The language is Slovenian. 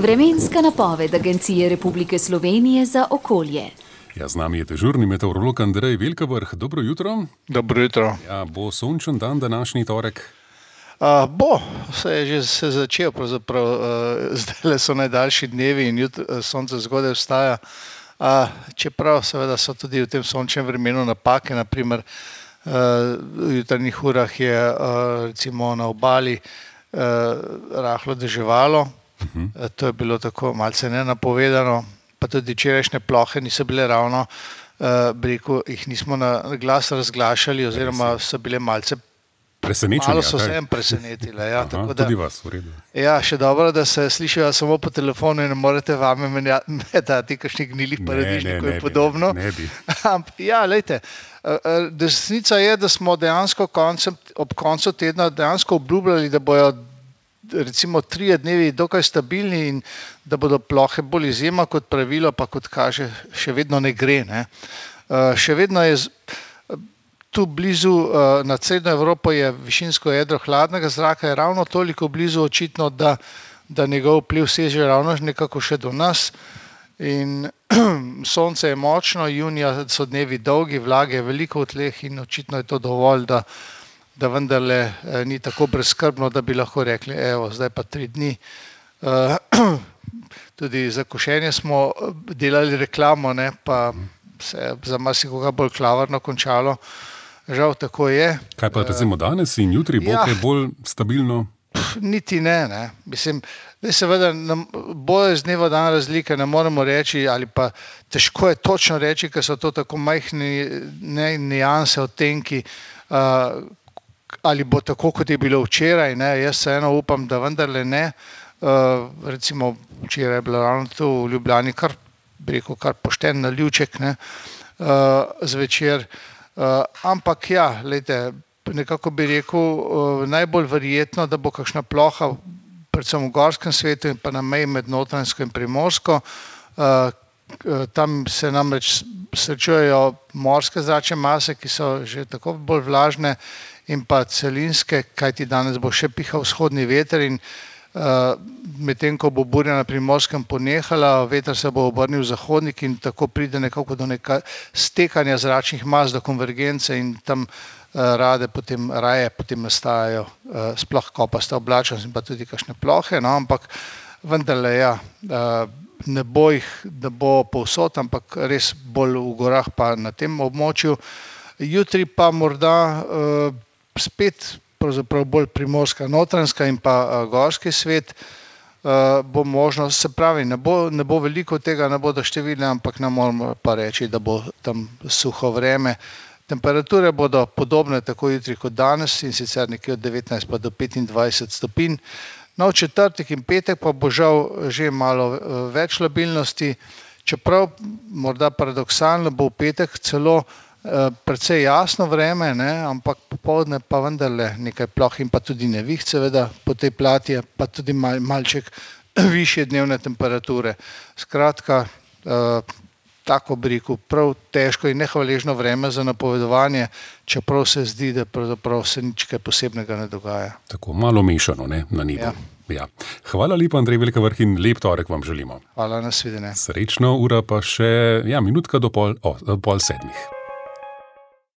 Vremenska napoved Agencije Republike Slovenije za okolje. Ja, z nami je dežurni meteorolog Andrej Velkavrh. Dobro jutro. Dobro jutro. Ja, bo sončen dan današnji torek? Bo, se je že začel, pravzaprav zdajle so najdaljši dnevi in sonce zgodaj vstaja. Čeprav seveda so tudi v tem sončnem vremenu napake, naprimer v jutranjih urah je recimo na obali rahlo deževalo. To je bilo tako malce nenapovedano, pa tudi včerajšnje plohe niso bile ravno, jih nismo na glas razglašali oziroma so bile malce malo so se presenetile. Ja, tako da, tudi vas, v redu. Ja, še dobro, da se slišijo samo po telefonu in ne morete vame metati kakšnih gnilih paradižnikov in podobno. Ne bi. Ja, glejte, desnica je, da smo dejansko ob koncu tedna dejansko obljubljali, da bojo recimo 3 dnevi dokaj stabilni in da bodo plohe bolj izjema kot pravilo, pa kot kaže, še vedno ne gre. Še vedno je tu blizu, nad srednjo Evropo je višinsko jedro hladnega zraka, je ravno toliko blizu očitno, da njegov vpliv seže ravno nekako še do nas. In sonce je močno, junija so dnevi dolgi, vlage je veliko v tleh in očitno je to dovolj, da vendarle ni tako brezskrbno, da bi lahko rekli, evo, zdaj pa 3 dni. Tudi za košenje smo delali reklamo, pa se je za marsikoga bolj klavrno končalo. Žal tako je. Kaj pa recimo danes in jutri bo kaj bolj stabilno? Niti ne. Mislim, da seveda bo iz dneva v dan razlika, ne moremo reči, ali pa težko je točno reči, ker so to tako majhne nianse, odtenki, ali bo tako, kot je bilo včeraj. Jaz vseeno upam, da vendarle ne. Recimo včeraj je bilo ravno tu v Ljubljani kar pošten nalivček zvečer. Ampak ja, glejte, nekako bi rekel, najbolj verjetno, da bo kakšna ploha, predvsem v gorskem svetu in pa na meji med Notranjsko in Primorsko. Tam se namreč srečujejo morske zračne mase, ki so že tako bolj vlažne, in pa celinske, kajti danes bo še pihal vzhodni veter in medtem ko bo burja na Primorskem ponehala, veter se bo obrnil v zahodnik in tako pride nekako do stekanja zračnih mas, do konvergence in tam raje potem nastajajo sploh kopasta oblačnost in pa tudi kakšne plohe, ampak vendarle ne bo povsod, ampak res bolj v gorah pa na tem območju. Jutri pa morda spet pravzaprav bolj primorska, notranjska in pa gorski svet bo možno, se pravi, ne bo veliko tega, ne bodo številne, ampak ne moramo pa reči, da bo tam suho vreme. Temperature bodo podobne tako jutri kot danes in sicer nekje od 19 pa do 25 stopinj. V četrtek in petek pa bo žal že malo več labilnosti, čeprav morda paradoksalno bo v petek celo precej jasno vreme, ampak popoldne pa vendarle nekaj ploh in pa tudi neviht seveda po tej plati, pa tudi malček višje dnevne temperature. Skratka, tako bi rekel, prav težko in nehvaležno vreme za napovedovanje, čeprav se zdi, da pravzaprav se nič kaj posebnega ne dogaja. Tako malo mešano, na nebu. Ja. Hvala lepa, Andrej Velkavrh, in lep torek vam želimo. Hvala, nasvidenje. Srečno, ura pa še minutka do pol 7.